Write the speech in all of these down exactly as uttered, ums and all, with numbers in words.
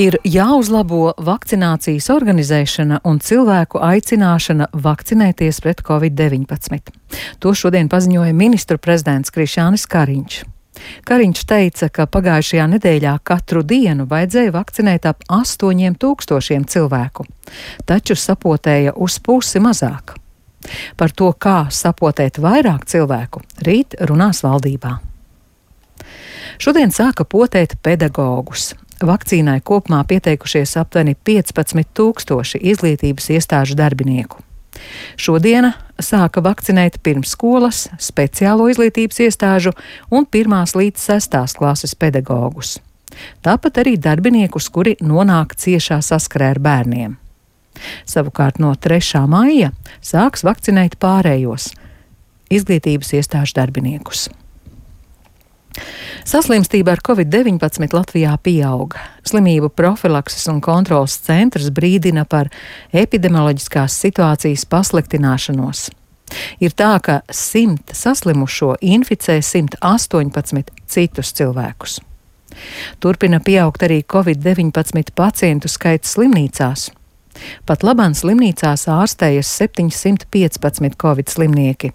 Ir jāuzlabo vakcinācijas organizēšana un cilvēku aicināšana vakcinēties pret covid deviņpadsmit. To šodien paziņoja ministru prezidents Krišjānis Kariņš. Kariņš teica, ka pagājušajā nedēļā katru dienu vajadzēja vakcinēt ap astoņiem tūkstošiem cilvēku, taču sapotēja uz pusi mazāk. Par to, kā sapotēt vairāk cilvēku, rīt runās valdībā. Šodien sāka potēt pedagogus. Vakcīnai kopumā pieteikušies aptuveni piecpadsmit tūkstoši izglītības iestāžu darbinieku. Šodiena sāka vakcinēt pirmsskolas, speciālo izglītības iestāžu un pirmās līdz sestās klases pedagogus. Tāpat arī darbiniekus, kuri nonāk ciešā saskarē ar bērniem. Savukārt no trešā maija sāks vakcinēt pārējos izglītības iestāžu darbiniekus. Saslimstība ar covid deviņpadsmit Latvijā pieauga. Slimību profilakses un kontrolas centrs brīdina par epidemioloģiskās situācijas pasliktināšanos. Ir tā, ka simt saslimušo inficē simt astoņpadsmit citus cilvēkus. Turpina pieaugt arī covid deviņpadsmit pacientu skaits slimnīcās. Pat labāk slimnīcās ārstējas septiņsimt piecpadsmit covid slimnieki.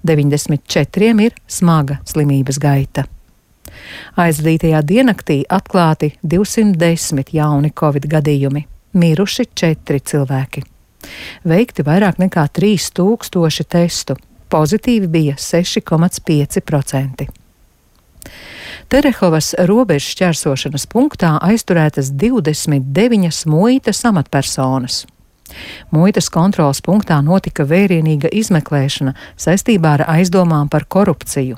deviņdesmit četriem ir smaga slimības gaita. Aizvadītajā diennaktī atklāti divsimt desmit jauni covid gadījumi, miruši četri cilvēki. Veikti vairāk nekā trīs tūkstoši testu, pozitīvi bija seši komats pieci procenti. Terehovas robežu šķērsošanas punktā aizturētas divdesmit deviņas muitas amatpersonas. Muitas kontroles punktā notika vērienīga izmeklēšana saistībā ar aizdomām par korupciju.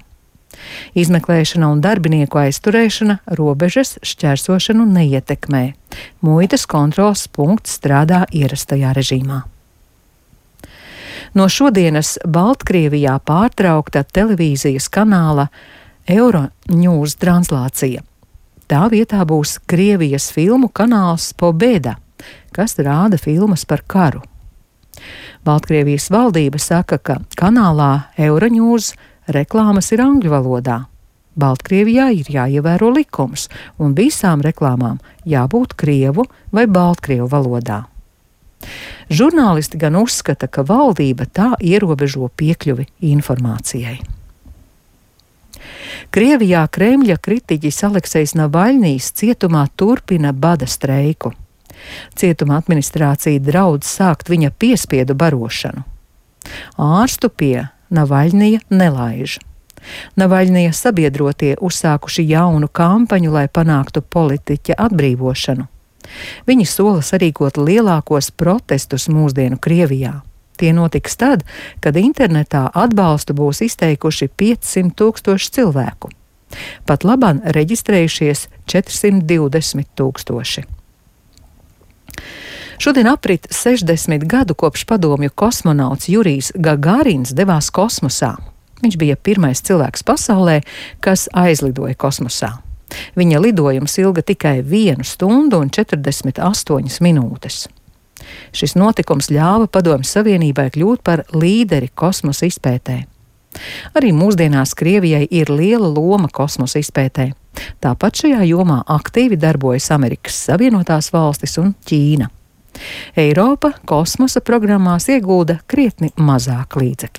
Izmeklēšana un darbinieku aizturēšana robežas šķērsošanu neietekmē. Muitas kontroles punkts strādā ierastajā režīmā. No šodienas Baltkrievijā pārtraukta televīzijas kanāla Euronews translācija. Tā vietā būs Krievijas filmu kanāls Pobeda, kas rāda filmas par karu. Baltkrievijas valdība saka, ka kanālā Euronews reklāmas ir angļu valodā. Baltkrievijā ir jāievēro likums, un visām reklāmām jābūt krievu vai baltkrievu valodā. Žurnālisti gan uzskata, ka valdība tā ierobežo piekļuvi informācijai. Krievijā Kremļa kritiķis Aleksejs Navaļņijs cietumā turpina bada streiku. Cietuma administrācija draudz sākt viņa piespiedu barošanu. Ārstu pie Navaļņija nelaiž. Navaļņija sabiedrotie uzsākuši jaunu kampaņu, lai panāktu politiķa atbrīvošanu. Viņi sola sarīkot lielākos protestus mūsdienu Krievijā. Tie notiks tad, kad internetā atbalstu būs izteikuši piecsimt tūkstoši cilvēku. Pat labāk reģistrējušies četrsimt divdesmit tūkstoši. Šodien aprit sešdesmit gadu kopš padomju kosmonauts Jurijs Gagarins devās kosmosā. Viņš bija pirmais cilvēks pasaulē, kas aizlidoja kosmosā. Viņa lidojums ilga tikai vienu stundu un četrdesmit astoņas minūtes. Šis notikums ļāva Padomju Savienībai kļūt par līderi kosmosa izpētē. Arī mūsdienās Krievijai ir liela loma kosmosa izpētē. Tāpat šajā jomā aktīvi darbojas Amerikas Savienotās valstis un Ķīna. Eiropa kosmosa programmās iegulda krietni mazāk līdzekļu.